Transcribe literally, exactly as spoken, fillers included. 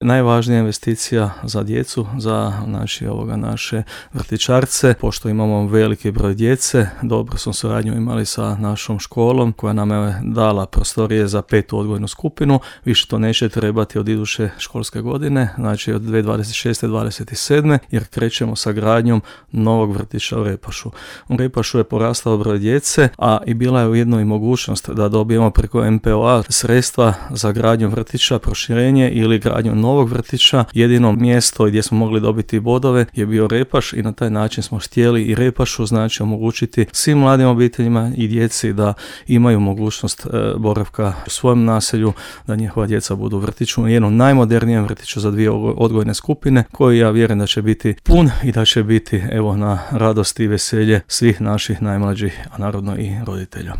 Najvažnija investicija za djecu, za znači, ovoga, naše vrtićarce, pošto imamo veliki broj djece, dobro smo suradnju imali sa našom školom koja nam je dala prostorije za petu odgojnu skupinu, više to neće trebati od iduće školske godine, znači od dvije tisuće dvadeset šeste do dvadeset sedme jer krećemo sa gradnjom novog vrtića u Repašu. U Repašu je porastao broj djece, a i bila je ujedno i mogućnost da dobijemo preko em pe o a sredstva za gradnju vrtića, proširenje ili gradnju novog vrtića. Jedino mjesto gdje smo mogli dobiti bodove je bio Repaš i na taj način smo htjeli i Repašu znači omogućiti svim mladim obiteljima i djeci da imaju mogućnost e, boravka u svojem naselju, da njihova djeca budu u vrtiću, jednom najmodernijem vrtiću za dvije odgojne skupine koji ja vjerujem da će biti pun i da će biti evo na radost i veselje svih naših najmlađih, a naravno i roditelja.